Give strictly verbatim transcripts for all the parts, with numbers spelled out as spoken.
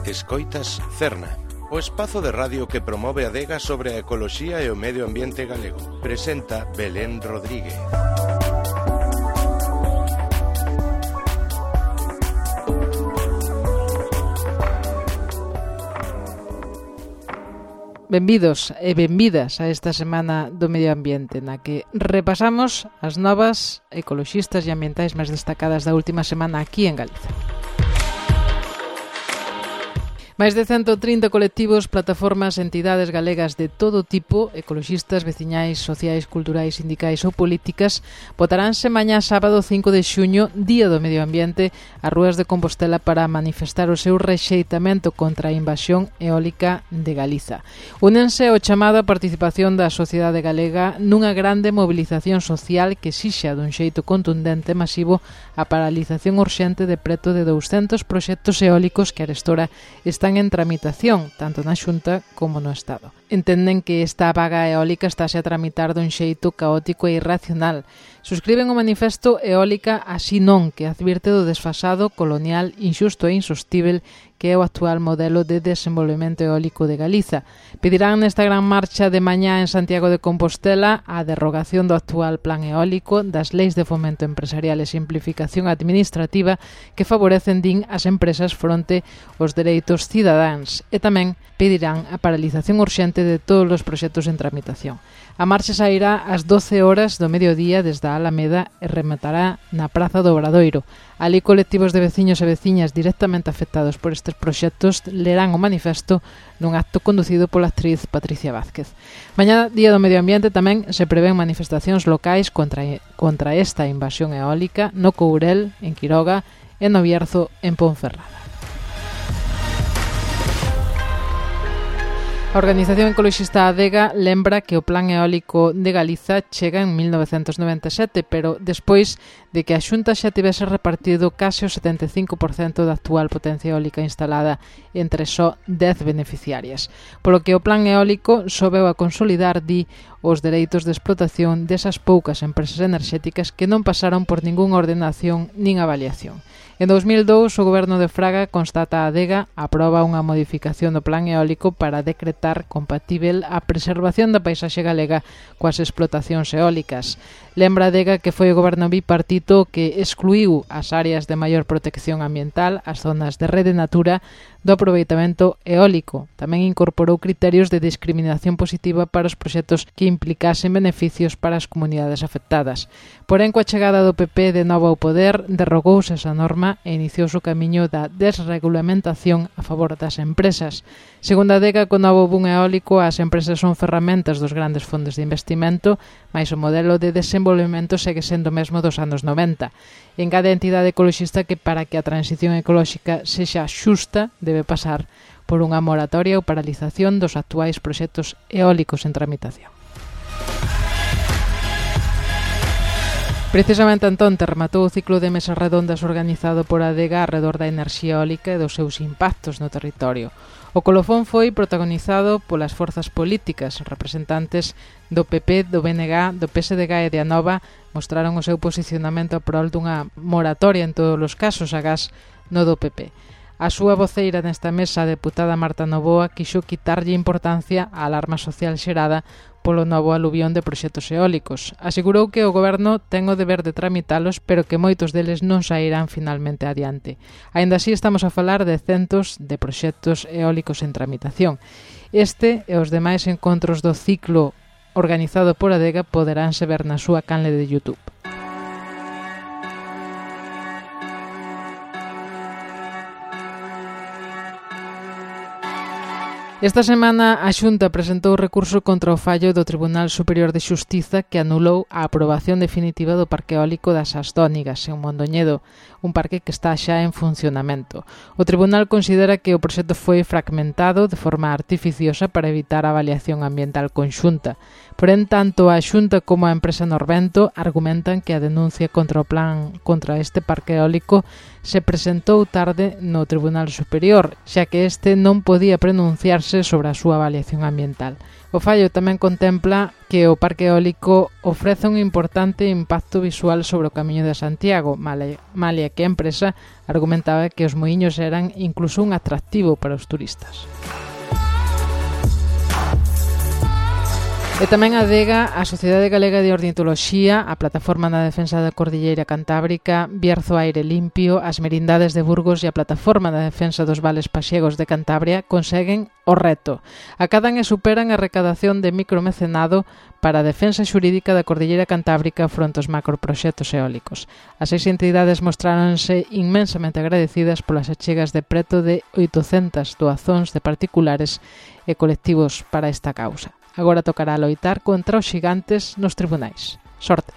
Escoitas Cerna, o espazo de radio que promove a adega sobre a ecoloxía e o medio ambiente galego. Presenta Belén Rodríguez. Benvidos e benvidas a esta semana do medio ambiente na que repasamos as novas ecoloxistas e ambientais máis destacadas da última semana aquí en Galiza. Máis de cento trinta colectivos, plataformas, entidades galegas de todo tipo, ecoloxistas, veciñais, sociais, culturais, sindicais ou políticas, botaránse mañá sábado cinco de xuño, Día do Medio Ambiente, ás rúas de Compostela para manifestar o seu rexeitamento contra a invasión eólica de Galiza. Únense ao chamado a participación da sociedade galega nunha grande mobilización social que exixa dun xeito contundente e masivo a paralización urxente de preto de douscentos proxectos eólicos que arestora están en tramitación, tanto na Xunta como no Estado. Entenden que esta vaga eólica estáse a tramitar dun xeito caótico e irracional. Suscriben o manifesto Eólica así non, que advirte do desfasado, colonial, inxusto e insostível que é o actual modelo de desenvolvemento eólico de Galiza. Pedirán nesta gran marcha de mañá en Santiago de Compostela a derrogación do actual plan eólico, das leis de fomento empresarial e simplificación administrativa que favorecen, din, as empresas fronte aos dereitos cidadáns, e tamén pedirán a paralización urxente de todos os proxectos en tramitación. A marcha sairá ás doce horas do mediodía desde a Alameda e rematará na Praza do Obradoiro. Alí colectivos de veciños e veciñas directamente afectados por estes proxectos lerán o manifesto nun acto conducido pola actriz Patricia Vázquez. Mañá, Día do Medio Ambiente, tamén se prevén manifestacións locais contra, contra esta invasión eólica no Courel, en Quiroga, e no Bierzo, en Ponferrada. A organización ecoloxista Adega lembra que o plan eólico de Galiza chega en mil novecentos noventa e sete, pero despois de que a Xunta xa tivese repartido case o setenta e cinco por cento da actual potencia eólica instalada entre só dez beneficiarias. Polo que o plan eólico sobeu a consolidar, di, os dereitos de explotación desas poucas empresas enerxéticas que non pasaron por ningunha ordenación nin avaliación. En dous mil dous, o goberno de Fraga, constata a Adega, aproba unha modificación do plan eólico para decretar compatível a preservación da paisaxe galega coas explotacións eólicas. Lembra a Adega que foi o goberno bipartito que excluiu as áreas de maior protección ambiental, as zonas de rede natura, do aproveitamento eólico. Tamén incorporou criterios de discriminación positiva para os proxectos que implicasen beneficios para as comunidades afectadas. Porén, coa chegada do P P de novo ao poder, derrogouse esa norma e iniciouse o camiño da desregulamentación a favor das empresas. Segundo a Adega, co novo boom eólico, as empresas son ferramentas dos grandes fondos de investimento, mais o modelo de desenvolvemento segue sendo o mesmo dos anos noventa. En cada entidade ecoloxista que para que a transición ecolóxica sexa xusta debe pasar por unha moratoria ou paralización dos actuais proxectos eólicos en tramitación. Precisamente entón rematou o ciclo de mesas redondas organizado por a Adega arredor da enerxía eólica e dos seus impactos no territorio. O colofón foi protagonizado polas forzas políticas. Representantes do P P, do B N G, do P S D G e de Anova mostraron o seu posicionamento a prol dunha moratoria en todos os casos, agás no do P P. A súa voceira nesta mesa, a deputada Marta Novoa, quixo quitarlle importancia á alarma social xerada polo novo aluvión de proxectos eólicos. Asegurou que o goberno ten o deber de tramitalos, pero que moitos deles non sairán finalmente adiante. Aínda así, estamos a falar de centos de proxectos eólicos en tramitación. Este e os demais encontros do ciclo organizado por Adega poderánse ver na súa canle de YouTube. Esta semana a Xunta presentou recurso contra o fallo do Tribunal Superior de Xustiza que anulou a aprobación definitiva do parque eólico das Asdónigas en Mondoñedo, un parque que está xa en funcionamento. O Tribunal considera que o proxecto foi fragmentado de forma artificiosa para evitar a avaliación ambiental conxunta. Porén, tanto a Xunta como a empresa Norvento argumentan que a denuncia contra o plan contra este parque eólico se presentou tarde no Tribunal Superior, xa que este non podía pronunciarse sobre a súa avaliación ambiental. O fallo tamén contempla que o parque eólico ofrece un importante impacto visual sobre o Camiño de Santiago, malia que a empresa argumentaba que os muiños eran incluso un atractivo para os turistas. E tamén adega a Sociedade Galega de Ornitoloxía, a Plataforma na Defensa da Cordilleira Cantábrica, Bierzo Aire Limpio, as Merindades de Burgos e a Plataforma da Defensa dos Vales Paxiegos de Cantabria conseguen o reto. Acadan e superan a recadación de micromecenado para a defensa xurídica da Cordilleira Cantábrica fronte aos macroproxectos eólicos. As seis entidades mostráronse inmensamente agradecidas polas achegas de preto de oitocentas doazóns de particulares e colectivos para esta causa. Agora tocará loitar contra os xigantes nos tribunais. Sorte!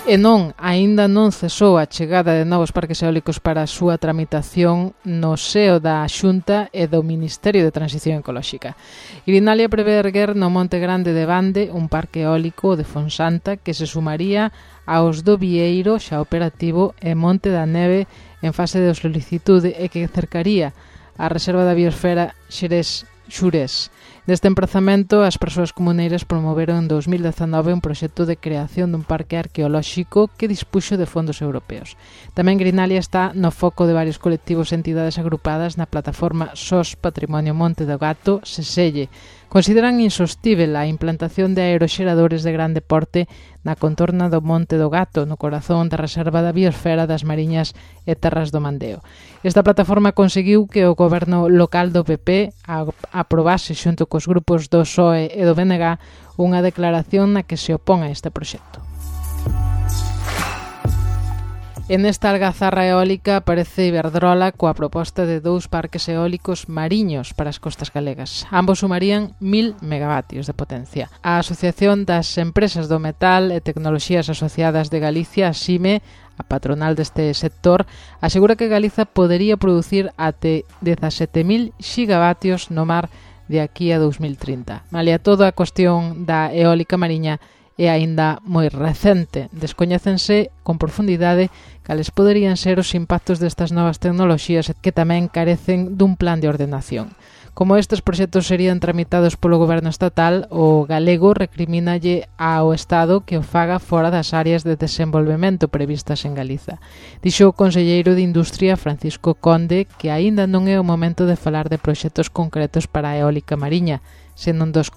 E non, aínda non cesou a chegada de novos parques eólicos para a súa tramitación no seo da Xunta e do Ministerio de Transición Ecolóxica. Irinalia prevé erguer no Monte Grande de Bande un parque eólico de Fonsanta que se sumaría aos do Vieiro xa operativo e Monte da Neve en fase de solicitude e que cercaría a Reserva da Biosfera Xerés Xurés. Neste emprazamento, as persoas comuneiras promoveron en dous mil dezanove un proxecto de creación dun parque arqueolóxico que dispuxo de fondos europeos. Tamén Grinalia está no foco de varios colectivos e entidades agrupadas na plataforma S O S Patrimonio Monte do Gato, Seselle. Consideran insostível a implantación de aeroxeradores de grande porte na contorna do Monte do Gato, no corazón da Reserva da Biosfera das Mariñas e Terras do Mandeo. Esta plataforma conseguiu que o goberno local do P P aprobase xunto cos grupos do P S O E e do B N G unha declaración na que se opón a este proxecto. En esta algazarra eólica aparece Iberdrola coa proposta de dous parques eólicos mariños para as costas galegas. Ambos sumarían mil megavatios de potencia. A Asociación das Empresas do Metal e Tecnoloxías Asociadas de Galicia, a SIME, a patronal deste sector, asegura que Galiza podería producir até dezasete mil xigavatios no mar de aquí a dous mil trinta. Malia toda a cuestión da eólica mariña é aínda moi recente. Descoñécense con profundidade cales poderían ser os impactos destas novas tecnoloxías que tamén carecen dun plan de ordenación. Como estes proxectos serían tramitados polo goberno estatal, o galego recrimínalle ao Estado que o faga fora das áreas de desenvolvemento previstas en Galiza. Dixo o conselleiro de Industria, Francisco Conde, que aínda non é o momento de falar de proxectos concretos para a eólica mariña, senón dos,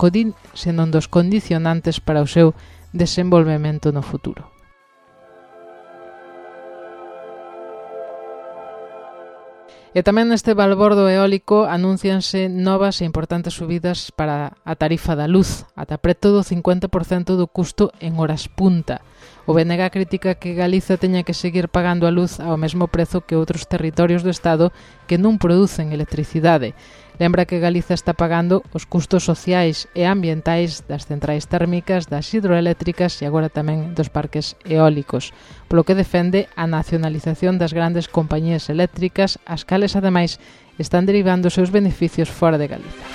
senón dos condicionantes para o seu desenvolvemento no futuro. E tamén neste balbordo eólico anúncianse novas e importantes subidas para a tarifa da luz, ata preto do cincuenta por cento do custo en horas punta. O B N G critica que Galiza teña que seguir pagando a luz ao mesmo prezo que outros territorios do Estado que non producen electricidade. Lembra que Galiza está pagando os custos sociais e ambientais das centrais térmicas, das hidroeléctricas e agora tamén dos parques eólicos, polo que defende a nacionalización das grandes compañías eléctricas, as cales ademais están derivando os seus beneficios fora de Galiza.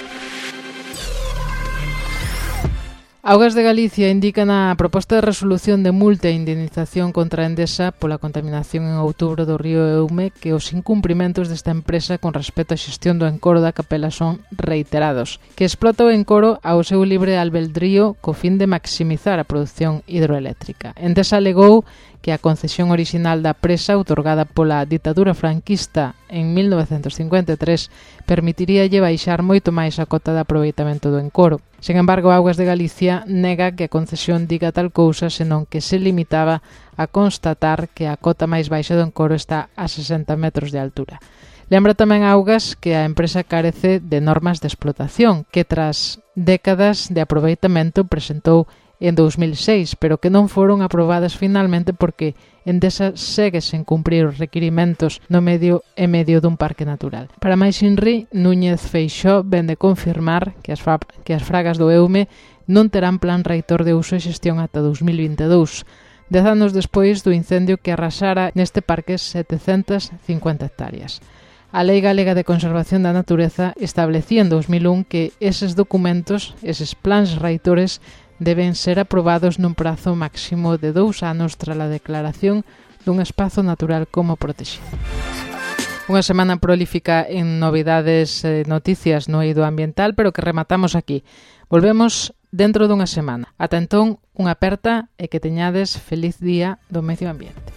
Augas de Galicia indica na proposta de resolución de multa e indemnización contra a Endesa pola contaminación en outubro do río Eume que os incumprimentos desta empresa con respecto á xestión do encoro da capela son reiterados, que explota o encoro ao seu libre albedrío co fin de maximizar a produción hidroeléctrica. Endesa alegou que a concesión orixinal da presa, outorgada pola ditadura franquista en mil novecentos cincuenta e tres, permitiríalle baixar moito máis a cota de aproveitamento do encoro. Sen embargo, Augas de Galicia nega que a concesión diga tal cousa, senón que se limitaba a constatar que a cota máis baixa do encoro está a sesenta metros de altura. Lembra tamén Augas que a empresa carece de normas de explotación, que tras décadas de aproveitamento presentou en dous mil seis, pero que non foron aprobadas finalmente porque Endesa segue sen cumprir os requirimentos no medio e medio dun parque natural. Para máis inri, Núñez Feixóo ven de confirmar que as, fa- que as fragas do Eume non terán plan reitor de uso e xestión ata dous mil vinte e dous, dez anos despois do incendio que arrasara neste parque setecentas cincuenta hectáreas. A Lei Galega de Conservación da Natureza establecía en dous mil un que eses documentos, eses plans reitores, deben ser aprobados nun prazo máximo de dous anos tras a declaración dun espazo natural como protegido. Unha semana prolífica en novidades e noticias no eido ambiental, pero que rematamos aquí. Volvemos dentro dunha semana. Ata entón, unha aperta e que teñades feliz día do medio ambiente.